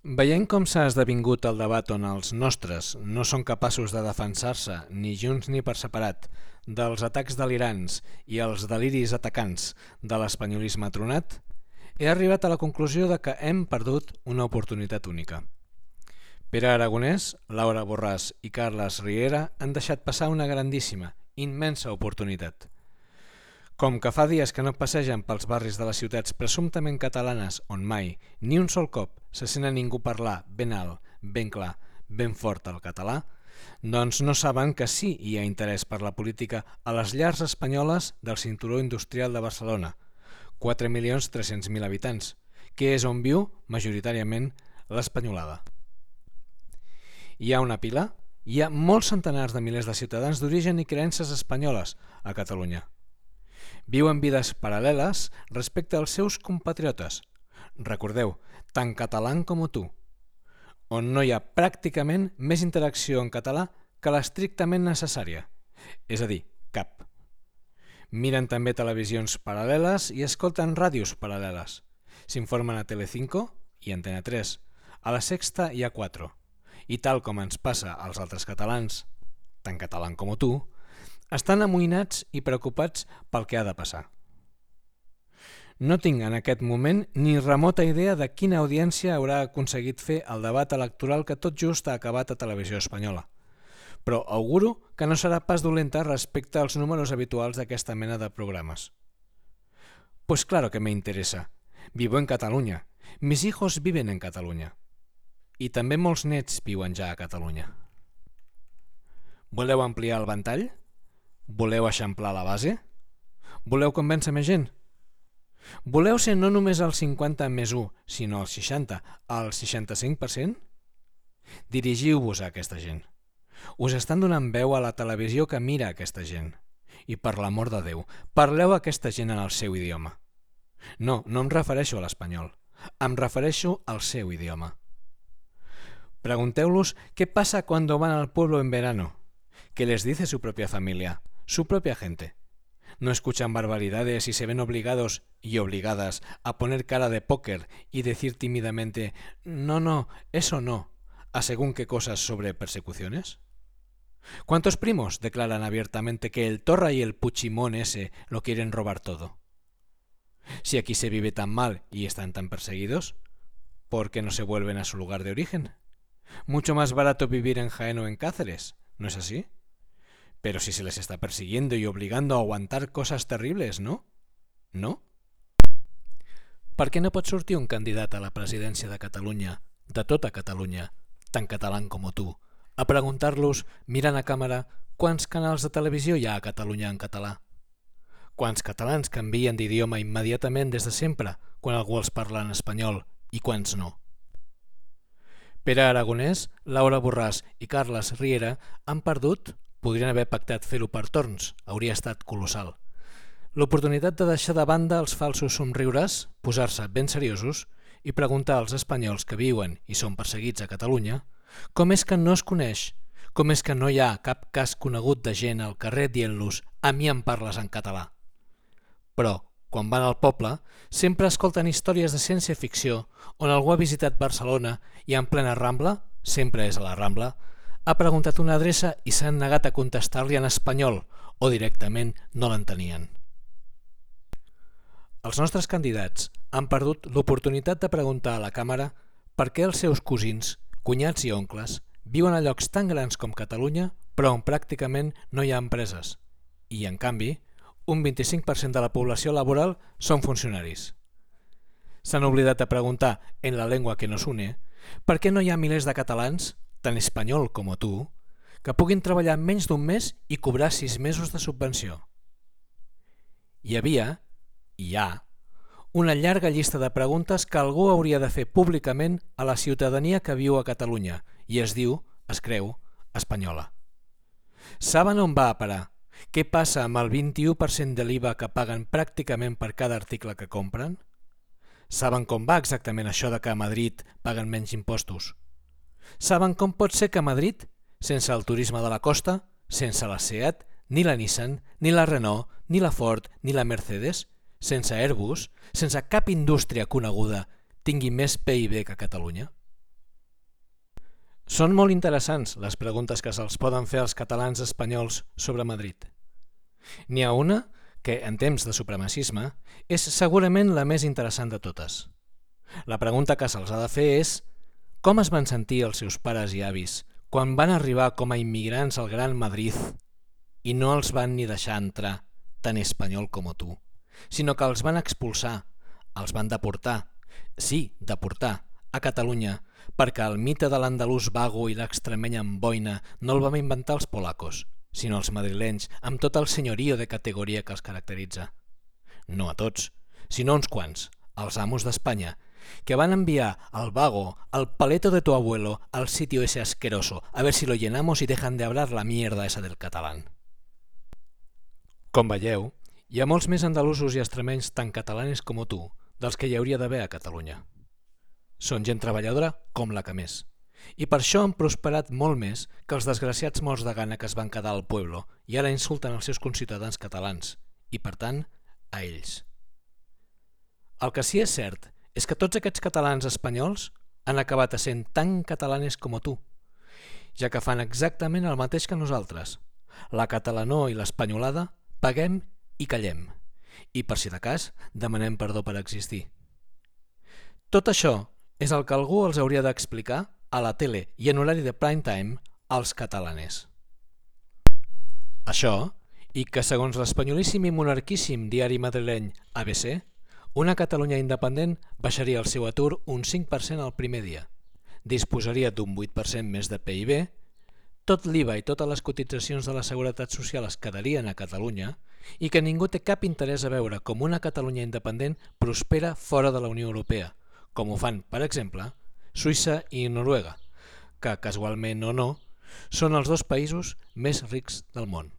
Veient com s'ha esdevingut el debat on els nostres no són capaços de defensar-se ni junts ni per separat dels atacs delirants i els deliris atacants de l'espanyolisme tronat, he arribat a la conclusió de que hem perdut una oportunitat única. Pere Aragonès, Laura Borràs i Carles Riera han deixat passar una grandíssima, immensa oportunitat. Com que fa dies que no passegen pels barris de les ciutats presumptament catalanes on mai, ni un sol cop, se sent a ningú parlar ben alt, ben clar, ben fort el català, doncs no saben que sí hi ha interès per la política a les llars espanyoles del cinturó industrial de Barcelona, 4.300.000 habitants, que és on viu, majoritàriament, l'espanyolada. Hi ha una pila? Hi ha molts centenars de milers de ciutadans d'origen i creences espanyoles a Catalunya. Viuen vides paral·leles respecte als seus compatriotes. Recordeu, tan català com tu, on no hi ha pràcticament més interacció en català que l'estrictament necessària, és a dir, cap. Miren també televisions paral·leles i escolten ràdios paral·leles. S'informen a Telecinco i Antena 3, a La Sexta i a 4. I tal com ens passa als altres catalans, tan català com tu, estan amoïnats i preocupats pel que ha de passar. No tinc en aquest moment ni remota idea de quina audiència haurà aconseguit fer el debat electoral que tot just ha acabat a Televisió Espanyola, però auguro que no serà pas dolenta respecte als números habituals d'aquesta mena de programes. Pues claro que me interesa. Vivo en Catalunya. Mis hijos viven en Catalunya. I també molts nets viuen ja a Catalunya. Voleu ampliar el ventall? Voleu eixamplar la base? Voleu convèncer més gent? Voleu ser no només el 50 més 1, sinó el 60, el 65%? Dirigiu-vos a aquesta gent. Us estan donant veu a la televisió que mira aquesta gent. I per l'amor de Déu, parleu a aquesta gent en el seu idioma. No, no em refereixo a l'espanyol. Em refereixo al seu idioma. Pregunteu-los qué pasa cuando van al pueblo en verano. ¿Qué les dice su propia familia, su propia gente? ¿No escuchan barbaridades y se ven obligados y obligadas a poner cara de póker y decir tímidamente no, eso no, a según qué cosas sobre persecuciones? ¿Cuántos primos declaran abiertamente que el Torra y el Puigdemont ese lo quieren robar todo? Si aquí se vive tan mal y están tan perseguidos, ¿por qué no se vuelven a su lugar de origen? Mucho más barato vivir en Jaén o en Cáceres, ¿no es así? Pero si se les está persiguiendo y obligando a aguantar cosas terribles, ¿no? ¿No? Per què no pot sortir un candidat a la presidència de Catalunya, de tota Catalunya, tan català com tu, a preguntar-los, mirant a càmera, quants canals de televisió hi ha a Catalunya en català? Quants catalans canvien d'idioma immediatament des de sempre, quan algú els parla en espanyol, i quants no? Pere Aragonès, Laura Borràs i Carles Riera han perdut. Podrien haver pactat fer-ho per torns, hauria estat colossal. L'oportunitat de deixar de banda els falsos somriures, posar-se ben seriosos i preguntar als espanyols que viuen i són perseguits a Catalunya com és que no es coneix, com és que no hi ha cap cas conegut de gent al carrer dient-los «a mi em parles en català». Però, quan van al poble, sempre escolten històries de ciència-ficció on algú ha visitat Barcelona i en plena Rambla, sempre és a la Rambla, ha preguntat una adreça i s'han negat a contestar-li en espanyol o directament no l'entenien. Els nostres candidats han perdut l'oportunitat de preguntar a la càmera per què els seus cosins, cunyats i oncles viuen a llocs tan grans com Catalunya però on pràcticament no hi ha empreses i, en canvi, un 25% de la població laboral són funcionaris. S'han oblidat de preguntar, en la llengua que nos une, per què no hi ha milers de catalans tan espanyol com tu, que puguin treballar menys d'un mes i cobrar 6 mesos de subvenció. Hi havia, i hi ha, una llarga llista de preguntes que algú hauria de fer públicament a la ciutadania que viu a Catalunya i es diu, es creu, espanyola. Saben on va a parar? Què passa amb el 21% de l'IVA que paguen pràcticament per cada article que compren? Saben com va exactament això de que a Madrid paguen menys impostos? Saben com pot ser que a Madrid, sense el turisme de la costa, sense la SEAT, ni la Nissan, ni la Renault, ni la Ford, ni la Mercedes, sense Airbus, sense cap indústria coneguda, tingui més PIB que Catalunya? Són molt interessants les preguntes que se'ls poden fer als catalans espanyols sobre Madrid. N'hi ha una que, en temps de supremacisme, és segurament la més interessant de totes. La pregunta que se'ls ha de fer és com es van sentir els seus pares i avis quan van arribar com a immigrants al Gran Madrid i no els van ni deixar entrar, tan espanyol com tu, sinó que els van expulsar, els van deportar, sí, deportar, a Catalunya, perquè el mite de l'andalús vago i l'extremeny amb boina no el vam inventar els polacos, sinó els madrilenys, amb tot el senyorio de categoria que els caracteritza. No a tots, sinó uns quants, els amos d'Espanya, que van enviar al vago, al paleto de tu abuelo, al sitio ese asqueroso, a ver si lo llenamos y dejan de hablar la mierda esa del catalán. Com veieu, hi ha molts més andalusos i extremenys tan catalanes com tu, dels que hi hauria d'haver a Catalunya. Són gent treballadora com la que més, i per això han prosperat molt més que els desgraciats morts de gana que es van quedar al pueblo i ara insulten els seus conciutadans catalans, i per tant, a ells. El que sí és cert és que tots aquests catalans espanyols han acabat essent tan catalanes com tu, ja que fan exactament el mateix que nosaltres. La catalanor i l'espanyolada paguem i callem, i per si de cas demanem perdó per existir. Tot això és el que algú els hauria d'explicar a la tele i en horari de prime time als catalaners. Això, i que segons l'espanyolíssim i monarquíssim diari madrileny ABC, una Catalunya independent baixaria el seu atur un 5% el primer dia, disposaria d'un 8% més de PIB, tot l'IVA i totes les cotitzacions de la Seguretat Social es quedarien a Catalunya i que ningú té cap interès a veure com una Catalunya independent prospera fora de la Unió Europea, com ho fan, per exemple, Suïssa i Noruega, que, casualment o no, són els dos països més rics del món.